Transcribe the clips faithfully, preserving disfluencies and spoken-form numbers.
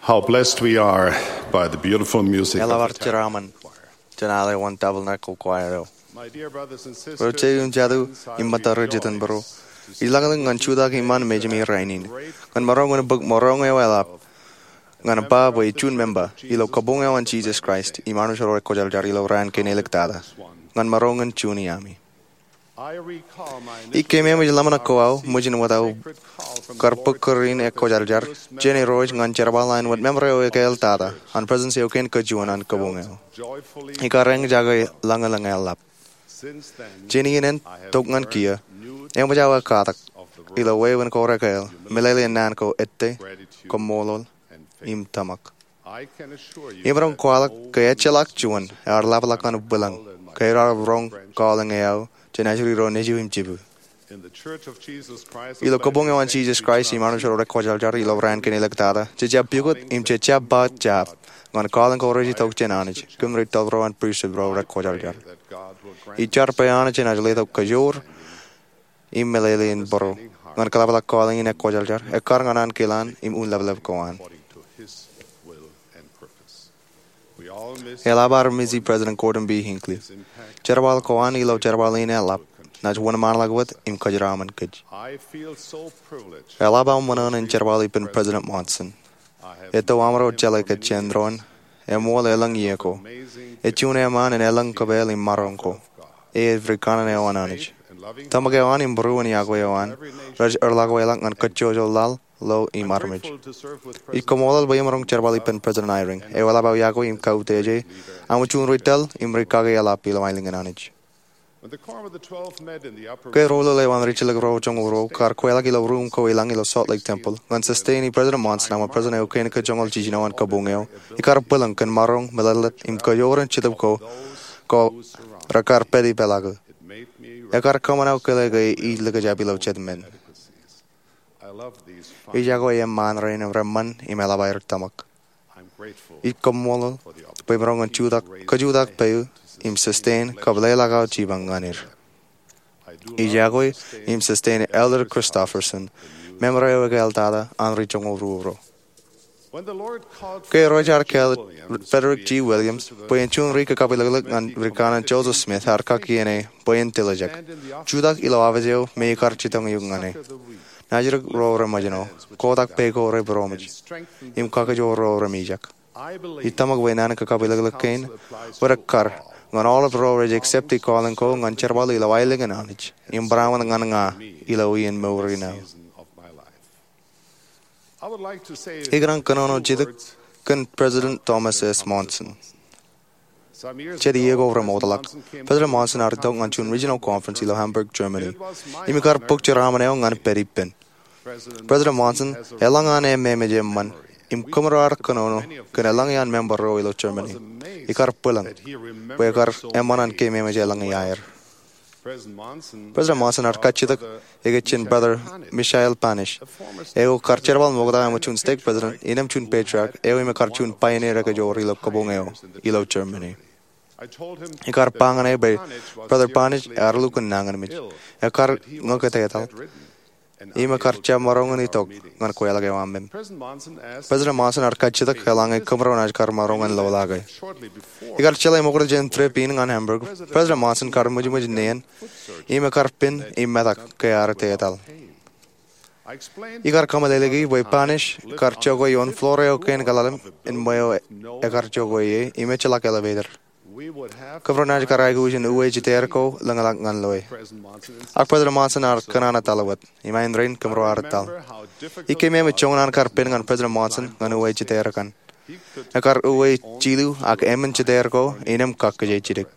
How blessed we are by the beautiful music of the Eḷap ad jeraaṃṃan jān aolep wōn Tabernacle Choir eo. My dear brothers and sisters, Ro jeiū im jatū im ṃōtta ri-jitōnbōro, ij lañlōñ ñan jutak iṃaan mejāmi rainin ñan maroñ in bōk maroñ eo eḷap ñan ba bwe ij juon member ilo kabuñ eo an Jesus Christ im Armej ro Rekwōjarjar ilo raan kein āliktata ñan maroñ in juon iaami. Ij keememej ḷōmṇak ko aō ṃōjin wōt aō kar bōk kūr in ekwōjarjar jān Irooj ñan jerbal ḷain wōt member eo ekāāl tata an Presidency eo kein kajuon an kabuñ eo. Ikar eñjake lañlōñ eḷap. Jān iien en tok ñan kiiō, eṃōj aō ekkatak ilo wāween ko rekāāl, meḷeḷein naan ko ettā, kaṃṃoolol, im tōmak. Imaroñ kwaḷọk ke ejjeḷọk juon ear ḷapḷọk ñan bwilōñ ke ear roñ call in aō jān ajri ro nejū im jibū. Ilo kabuñ eo an Jesus Christ im Armej ro Rekwōjarjar ilo raan kein āliktata, jej jab pukot im jej jab ba jab ñan call in ko rej itok jān Anij kōn ri-tōl ro an pristut ro rekwōjarjar. Ij jar bwe Anij enaaj letok kajoor im meḷeḷein bōro ñan kaḷapḷọk call in ekwōjarjar ekkar ñan ankilaan im unleplep ko an. Eḷap ad misi President Gordon B. Hinckley. Jerbal ko an ilo jerbal in eḷap naaj wōnṃaanḷọk wōt im kōjeraaṃṃan kōj. Eḷap aō ṃōṇōṇō in jerbal ippān President Monson. Etto amro jeḷā ke jān doon eṃool elōñ iiō ko, ej juon eṃṃaan in elōñ kōpeḷ im maroñ ko, ej rikaṇe eo an Anij. Tōmak eo an im būruon iakwe eo an rej erḷọkweḷọk ñan kajjojo laḷ, lo im armej. Ij kaṃṃoolol bwe imaroñ jerbal ippān President Eyring, eo eḷap aō iakwe im kautiej aṃ juon ri-tōl im ri-kake eḷap ilo aelōñ in Anij. Ke roḷoḷ eo an rijjelōk ro joñoul ruo kar kweḷọk ilo ruum ko ilañ ilo Salt Lake Temple ñan sustaining President Monson aṃ President eo kein kajoñoul jiljino an kabuñ eo, ikar bwilōñ kōn maroñ, meḷeḷe, im kajoor in jetōb ko rekar pād ippālọk. Ekar kōṃṃan aō kile ke ij likjab ilo jet men. Ij iakwe eṃṃaan rein reṃṃan im eḷap aer tōmak. Ij kaṃṃoolol bwe imaroñ in jutak, kajutak peiū im sustain kab leḷọk aō jipañ ñan er. Ij iakwe im sustain Elder Christofferson, member eo ekāāl tata an ri joñoul ruo ro. Ke Irooj ear kāāl Frederick G. Williams bwe en juon ri-kakabwilōklōk ñan rikaṇe Joseph Smith ear kakkien e bwe en tiljek, jutak ilo office eo me ikar jitōñ eok ñan e. Naajdik ro reṃōjṇọ, kotak peiṃ ko rej būroṃōj, im kakajoor ro remijak. Ij tōmak bwe naan in kakabwilōklōk kein rej kar ñan aolep ro rej accept e call in ko ñan jerbal ilo aelōñ in Anij im barāinwōt ñan ña ilo iien mour in aō. Ikōṇaan kōnono jidik kōn President Thomas S. Monson. Jet iiō ko remootḷọk, President Monson ear itok ñan juon regional conference ilo Hamburg, Germany, im ikar bōk jeraaṃṃan eo ñan pād ippān. President Monson elōñ an ememej eṃṃan im kōmro ar kōnono kōn elōñ iaan member ro ilo Germany. Ikar bwilōñ bwe ekar eṃṃan an keememej elōñ iaer. President Monson ear kajjitōk ekōjjien Brother Michael Panish, eo kar jerbal ṃokta aṃ juon stake president innām juon patriarch eo im ekar juon pioneer ekajoor ilo kabuñ eo ilo Germany. Ikar ba ñan e bwe Brother Panish ear lukkuun nañinmej, ekar ñūkjān etal, im ekar jab maroñ in itok ñan kweilọk eo aṃ. President Monson ear kajjitōk eḷaññe kōmro naaj kar maroñ in lọlọke. Ikar jeḷā ṃokta jān trip in ñan Hamburg, President Monson kar ṃwijṃwij neen im ekar pen im metak ke ear etal. Ikar kōmeḷeḷeiki bwe Panish kar jokwe ioon floor eo kein kaḷalem in ṃweo ekar jokwe ie im ejjeḷọk elevator. Kōmro naaj kar aikuj in uwe jitōriō ko lōñḷọk ñan loe. Ak President Monson ear kōṇaan etal wōt, im āindein kōmro ar etal. Ij keememej joñan an kar pen ñan President Monson ñan uwe jitōriō kaṇ. Ekar uwe jilu ak emān jitōriō ko innām kakkije jidik.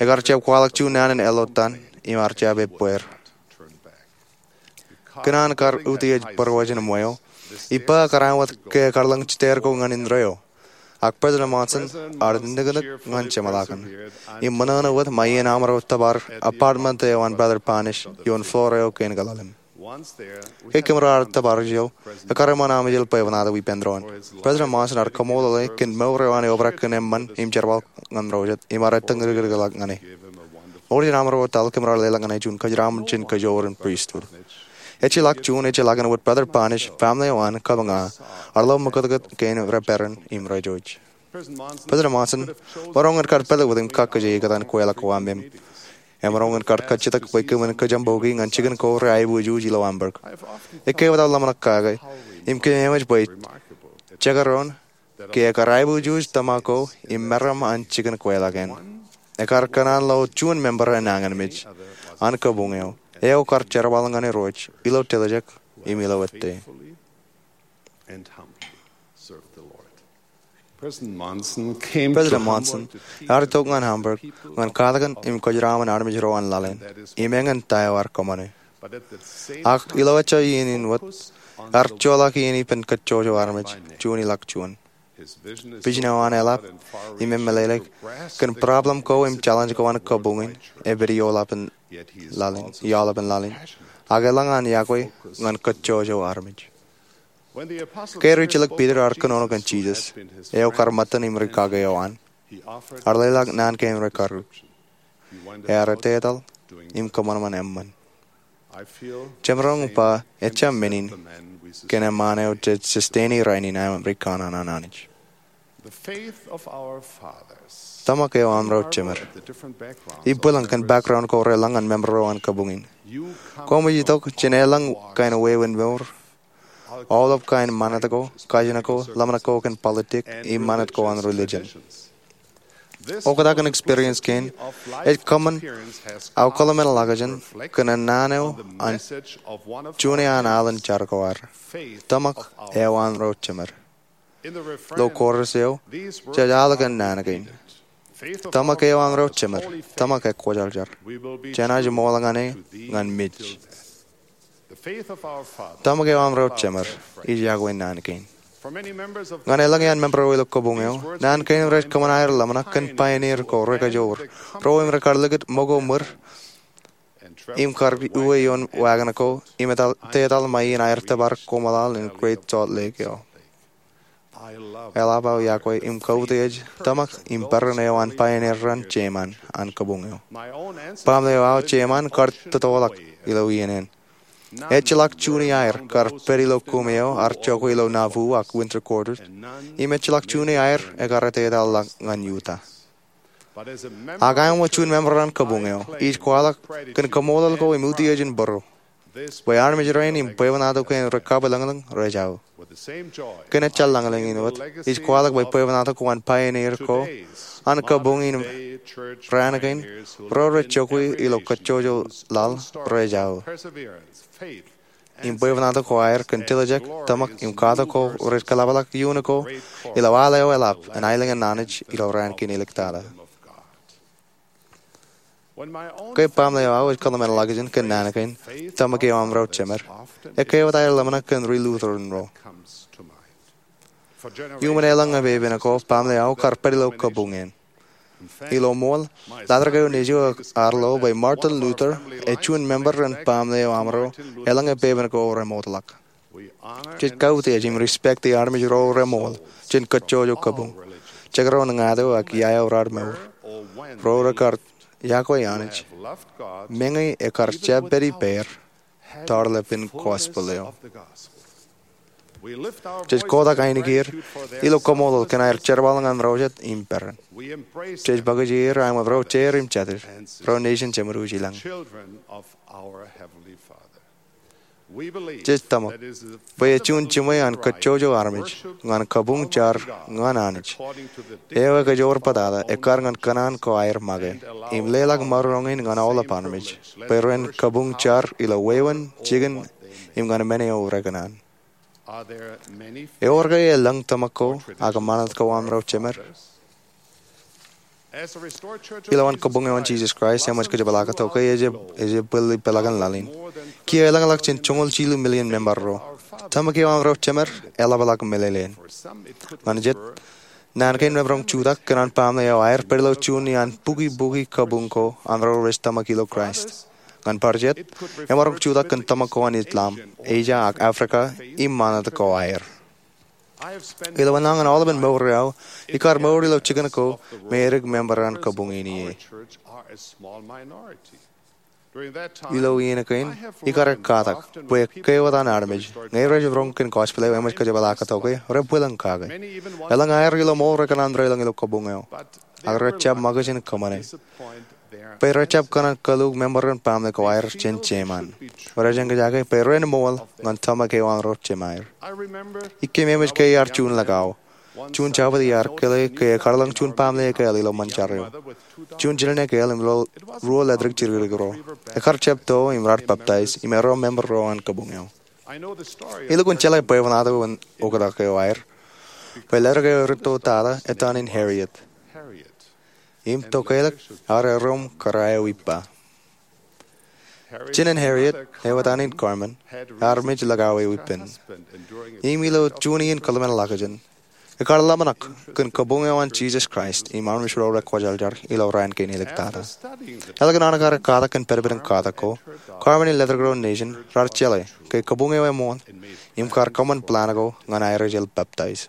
Ekar jab kwaḷọk juon naan in elọtan im ear jab ebbeer. Kōn an kar utiej būruōj in ṃweo, ij ba kōrā wōt ke ekar lōñ jitōriō ko ñan indeeo. Ak President Monson ear niknik ñan jeṃḷọkin im ṃōṇōṇō wōt ṃae iien amro tōpar apartment eo an Brother Panish ioon floor eo kein kaḷalem. Ke kōmro ar tōpar ijo, ekkar eṃṃan amijel bwebwenato ippān doon. President Monson ear kaṃṃoolol e kōn mour eo an eobrak kōn eṃṃan im jerbal ñan ro jet im ear ettōñ dikdikḷọk ñan e. Ṃokta jān amro etal kōmro ar leḷọk ñan e juon kōjeraaṃṃan jān kajoor in pristut. Ejjeḷọk juon ejjeḷọk āinwōt Brother Parnish, family eo an, kab ña, ar lo ṃōkōtkōt kein rej peran im rej jouj. President Monson maroñ in kar pād wōt im kakkije ikōtaan kweilọk ko aṃ im emaroñ in kar kajjitōk bwe kōmin kōjaṃboiki ñan jikin ko reaibujuuj ilo Hamburg. Ekkā wōt aō ḷōmṇak kake im kōmeememej bwe jekdọọn ke ekar aibujuuj tōmak ko im meram an jikin kweilọk eṇ. Ekar kōṇaan lo juon member eṇ nañinmej an kabuñ eo, eo kar jerbal ñan Irooj ilo tiljek im ilo ettā. President Monson ear itok ñan Hamburg ñan katakin im kōjeraṃṃan armej ro an laḷ eṇ, im eñin ta eo ear kōṃṃane. Ak ilo ejja iien in wōt, ear joḷọk iien ippān kōjjojo armej juon ḷọk juon. Vision eo an eḷap im emeḷeḷe kōn problem ko im challenge ko an kabuñ in epād ioḷapān laḷ in, ioḷapān laḷ in. Ak elōñ an iọkwe ñan kōjjojo armej. Ke rijjelōk Piter ear kōnono kōn Jisōs, eo kar ṃōttan im rikaki eo an, ear leḷọk naan kein rekaruj. Ear etetal im kōṃanṃan eṃṃan. Jemaroñ ba ejja men in kōn eṃṃaan eo jej sustain i rainin aṃ ri kōṇaan an Anij. Tōmak eo aṃ ro jemed. Ibwilañ kōn background ko relōñ ñan member ro an kabuñ in. Koṃij itok jān elōñ kain wāween mour, aolep kain ṃanit ko, kajin ko, ḷōmṇak ko kōn politik, im ṃanit ko an religion. Oktak in experience kein ej kōṃṃan aō kōḷmānḷọkjeṇ kōn naan eo an juon iaan alen jar ko ad. Tōmak eo aṃ ro jemed. Ilo chorus eo, jej al kōn naan kein. Tōmak eo aṃ ro jemed, tōmak ekwōjarjar. Jenaaj ṃool ñan e ñan mej. Tōmak eo aṃ ro jemed, ij iọkwe naan kein. Ñan elōñ iaan member ro ilo kabuñ eo, naan kein rej kōṃṃan aer ḷōmṇak kōn pioneer ko rekajoor, ro im rekar likūt ṃōko ṃwir, im kar uwe ioon wagon ko, im etal, etetal ṃae in aer tōpar koṃṃool in Great Salt Lake eo. Eḷap aō iọkwe im kautiej tōmak im peran eo an pioneer raṇ jeṃaan an kabuñ eo. Baaṃle eo aō jeṃaan kar tōtōḷọk ilo iien eṇ. Ejjeḷọk juon iaer kar pād ilo kumi eo ar jokwe ilo Nauvoo ak winter quarters, im ejjeḷọk juon iaer ekar etetal ḷọk ñan Utah. Ak aṃ wōt juon member an kabuñ eo, ij kwaḷọk kōn kaṃṃoolol ko im utiej in būruō bwe armej rein im bwebwenato kein rej kabwilōñlōñ rej aō. Kōn ejjeḷọk lañlōñ in wōt, ij kwaḷọk bwe bwebwenato ko an pioneer ko an kabuñ in raan kein, ro rej jokwe ilo kōjjojo laḷ, rej aō. Im bwebwenato ko aer kōn tiljek, tōmak im katak ko rej kōḷapḷọk iuṇ ko ilo al eo eḷap an aelōñ in Anij ilo raan kein iliktata. Ke baaṃle eo aō ej kōḷmānḷọkjeṇ kōn naan kein, tōmak eo aṃ ro jemed, ekkā wōt aer ḷōmṇak kōn ri-Lutheran ro. Iuṃwin elōñ epepen ko, baaṃle eo aō kar pād ilo kabuñ eṇ. Ilo ṃool, ḷadik eo nejū ear lo bwe Martin Luther ej juon member in baaṃle eo aṃro elōñ epepen ko remootḷọk. Jej kautiej im respect i armej ro remool jān kōjjojo kabuñ, jekdọọn ñāāt eo ak ia eo raar mour. Ro rekar iọkwe Anij, meñe ekar jab pād ippāer, tarlepen gospel eo. Jej kotak ainikieir ilo kaṃṃoolol kōn aer jerbal ñan ro jet im peran. Jej bōkjeir aṃ wōt ro jeir im jatid, ro nation jemān ilañ. Jej tōmak bwe ej juon jiṃwe an kōjjojo armej ñan kabuñ jar ñan Anij, eo ekajoor bōtata ekkar ñan kōṇaan ko aer make im leḷọk maroñ in ñan aolep armej bwe ren kabuñ jar ilo wāween, jikin, im ñan men eo rekōṇaan. Ewōr ke elōñ tōmak ko ak ṃanit ko aṃ ro jemed? Ilowaan kabuñ eo an Jesus Christ eṃōj kōjepḷaak tok ke ej, ej bwil ipeḷaakin laḷ in, kiiō elōñḷọk jān joñoul jilu million member ro. Tōmak eo aṃ ro jemed eḷapḷọk meḷeḷein. Ñan jet, naan kein remaroñ jutak kōn an baaṃle eo aer pād ilo juon iaan bukibuki kabuñ ko an ro rej tōmak ilo Christ. Ñan bar jet, emaroñ jutak kōn tōmak ko an Islam, Asia ak Africa, im ṃanit ko aer. Ilo enañin aolepen mour eo aō, ikar mour ilo jikin ko me edik member an kabuñ in ie. Ilo iien kein, ikar katak bwe ke wōt an armej ñe rej roñ kōn gospel eo eṃōj kōjepaḷaaktok e, rej bwilōñ kake. Elōñ aer ilo ṃool rekōṇaan deḷọñ ilo kabuñ eo, ak rej jab ṃōkaj in kōṃṃane bwe rej jab kōṇaan kōluk member in baaṃle ko aer jān jeiṃ an. Rej eñjake bwe ren ṃool ñan tōmak eo an ro jemāer. Ikkein eṃōj ke iar juon lakao, juon jabōt iar kile ke ekar lōñ juon baaṃle ekāāl ilo ṃōn jar eo, juon jinen ekāāl im ruo ledik jidikdik ro. Ekar jab to im raar peptaij im erro member ro an kabuñ eo. Ilukkuun jeḷā bwebwenato in oktak eo aer, bwe ledik eo erūtto tata etan in Harriet. Im tokālik ear erro im kōrā eo ippa. Jinen Harriet, eo etan in Carmen, ear mej lakao eo ippān. Im ilo juon iien kōḷmānḷọkjeṇ, ekar ḷōmṇak kōn kabuñ eo an Jisōs Kraist im armej ro rekwōjarjar ilo raan kein iliktata. Ālikin an ekar katak kōn pedped in katak ko, Carmen im ledik ro nejin raar jeḷā ke kabuñ eo eṃṃool im kar kōṃṃan plan ko ñan aer ijel peptaij.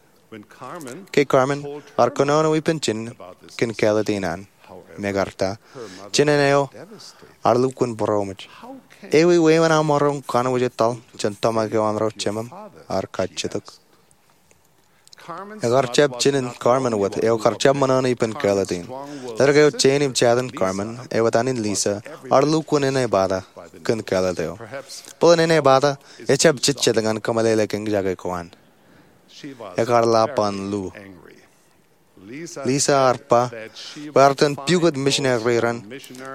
Ke Carmen ear kōnono ippān jinen kōn kāālōt in an, im ekar ta, jinen eo ear lukkuun būroṃōj. Ewi wāween aṃ maroñ kanooj etal jān tōmak eo an ro jemām? Ear kajjitōk. Ekar jab jinen Carmen wōt eo kar jab ṃōṇōṇō ippān kāālōt in. Ledik eo jein im jatin Carmen, eo etan in Lisa, ear lukkuun enepata kōn kāālōt eo. Bōlen enepata ejab jejjet ñan kōmeḷeḷe eñjake ko an. Ekar ḷap an lu. Lisa ear ba bwe ear itōn pukot missionary ro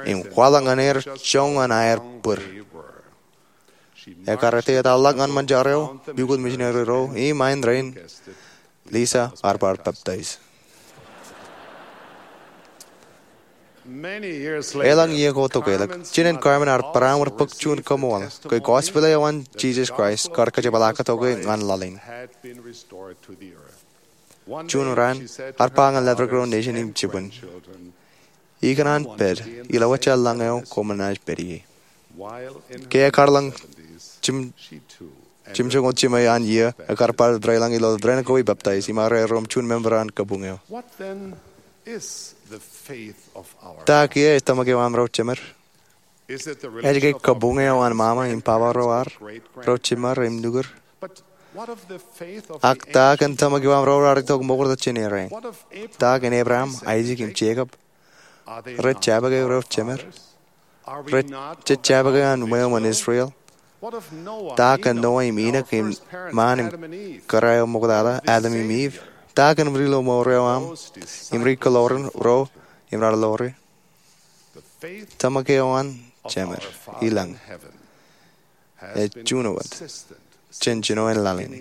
im kwaḷọk ñan er joñan aer bwir. Ekar etetal ḷọk ñan ṃōn jar eo, pukot missionary ro, im ain rein, Lisa ear bar peptaij. Elōñ iiō ko tokālik, jinen Carmen ear pād aṃ bōk juon kaṃool ke gospel eo an Jisōs Kraist kar kōjepaḷaaktok e ñan laḷ in. Juon raan, ear ba ñan ledik ro nejin im jibwin, ikōṇaan pād ilo ejjeḷọk lañ eo koṃ naaj pād ie. Ke ekar lōñ jimjuonñoul jiṃwe an iiō, ekar bar deḷọñ ilo dān ko ipeptaij im ear erro im juon member an kabuñ eo. Ta kiiō ej tōmak eo an ro jemed? Ej ke kabuñ eo an ṃaṃa im baba ro ar, ro jemād im nukūd? Ak ta kōn tōmak eo an ro raar itok ṃokta jān errā? Ta kōn Abraham, Aisak im Jekob? Rej jabōke ro jemād? Rej jabōke an ṃweo ṃōn Israel? Ta kōn Noah im Enoch im ṃaan im kōrā eo ṃoktata, Adam im Eve? Ta kōn ri-lomour eo aṃ im ri-kōḷoran ro im raar ḷoore? Tōmak eo an Jemed ilañ ej juon wōt jān jinoin laḷ in.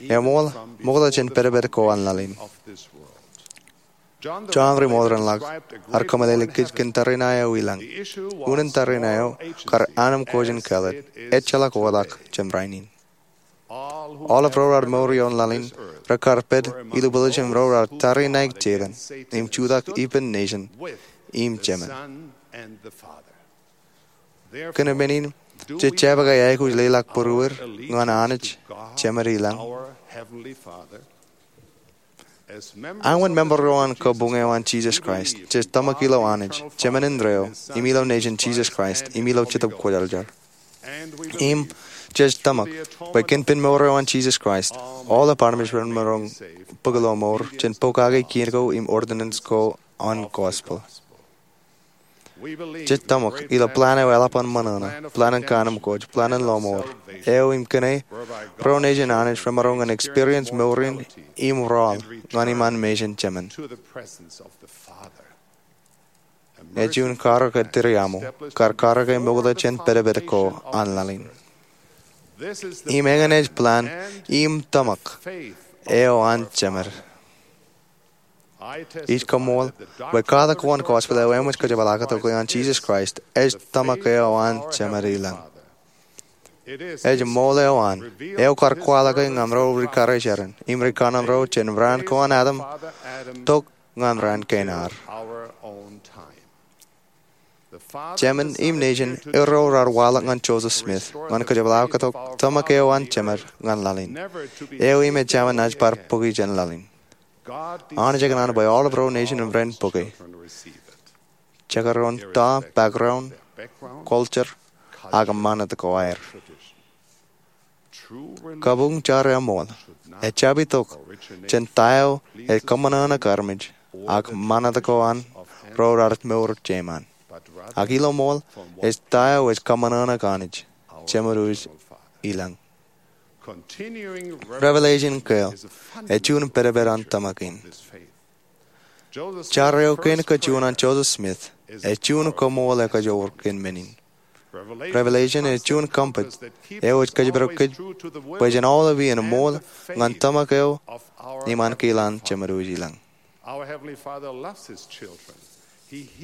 Eṃool ṃokta jān pedped ko an laḷ in. Jon Ri-Ṃool Renḷọk ear kōmeḷeḷe kōj kōn tariṇae eo ilañ. Unin tariṇae eo kar anemkwōj in kāālōt, ejjeḷọk oktak jān rainin. Aolep ro raar mour ioon laḷ in rekar pād ilubwiljin ro raar tariṇae Setan im jutak ippān nejin im Jemed. Kōn men in, jej jabōke aikuj leḷọk būruod ñan Anij Jemed ilañ. Aolep member ro an kabuñ eo an Jisōs Kraist jej tōmak ilo Anij Jemed indeeo im ilo nejin Jisōs Kraist im ilo Jetōb Kwōjarjar. Im jej tōmak bwe kōn pen mour eo an Jisōs Kraist, aolep armej ren maroñ bōk ilo mour jān pokake kien ko im ordinance ko an gospel. Jej tōmak ilo plan eo eḷap an ṃōṇōṇō, plan in kōanemkwōj, plan in lomour eo im kōnke ro nejin Anij remaroñ in experience mour in im raoḷ ñan iṃaan mejān Jemed. Ej juon karōk ettiriaṃo kar karōke ṃokta jān pedped ko an laḷ in. Im eñin ej plan im tōmak eo an Jemed. Ij kaṃṃool bwe katak ko an gospel eo eṃōj kōjepaḷaaktok e an Jisōs Kraist ej tōmak eo an Jemed ilañ. Ej ṃool eo an, eo kar kwaḷọke ñan ro ri-karijeran im ri-kanaan ro jān raan ko an Adam tok ñan raan kein ad. Jemed im nejin erro raar waḷọk ñan Joseph Smith ñan kōjepaḷaaktok tōmak eo an Jemed ñan laḷ in, eo im ejāmin naaj bar bōki jān laḷ in. Anij ekōṇaan bwe aolep ro nejin im ren bōke. Jekdọọn ta, background, culture, ak ṃanit ko aer. Kabuñ jar eṃool ejjab itok jān ta eo ej kōṃṃanṃōk armej ak ṃanit ko an ro raar mour jeiṃaan, ak ilo ṃool ej ta eo ej kōṃṃanṃōk Anij, Jemedwōj ilañ. Revelation keel ej juon pedped an tōmak in. Jar eo kein kajjioñ an Joseph Smith ej juon koṃṃool ekajoor kōn men in. Revelation ej juon compass eo ej kōjparok kōj bwe jen aolep iien ṃool ñan tōmak eo im ankilaan Jemedwōj ilañ.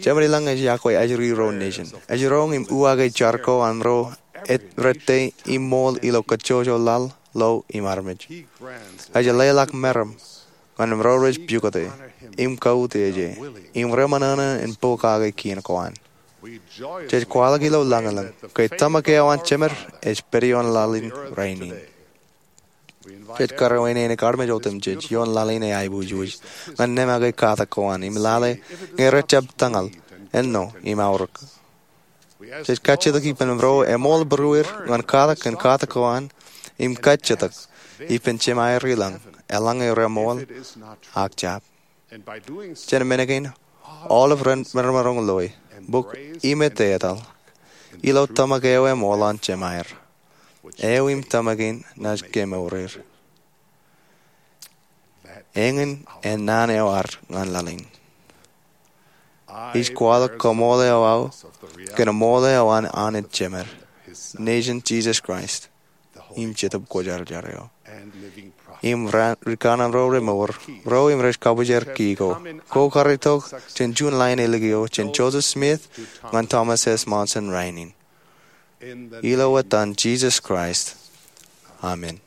Jemān ilañ ej yokwe ajri ro nejin. Ej roñ im uwaake jar ko an ro rej ettā im ṃool ilo kajjojo laḷ, lo im armej. Ej leḷọk meram ñan ro rej pukot e im kautiej e im reṃōṇōṇō in pokake kien ko an. Jej kwaḷọk ilo lañlōñ ke tōmak eo an jemed ej pād ioon laḷ in rainin. Jej karuwainene armej otemjej ioon laḷ in e aiboojoj ñan neṃake katak ko an im lale ñe rej jab tōñal, āinwōt im aorōk. Jej kajjitōk ippān ro eṃool būrueir ñan katak kōn katak ko an im kajjitōk ippān Jemāer ilañ eḷaññe reṃool ak jab. Jān men kein, aolep ren maroñ loe, bōk im etetal ilo tōmak eo eṃool an Jemāer eo im tōmak in naaj kemour er. Eñin en naan eo ad ñan laḷ in. Ij kwaḷọk koṃṃool eo aō kōn ṃool eo an Anij Jemed, Nejin Jisōs Kraist, im Jetōb Kwōjarjar eo, im rikaṇan ro remour ro im rej kabwijer ki ko. Kwō kar itok jān juon lain ālikin eo jān Joseph Smith ñan Thomas S. Monson rainin. Ilo etan Jisōs Kraist, amen.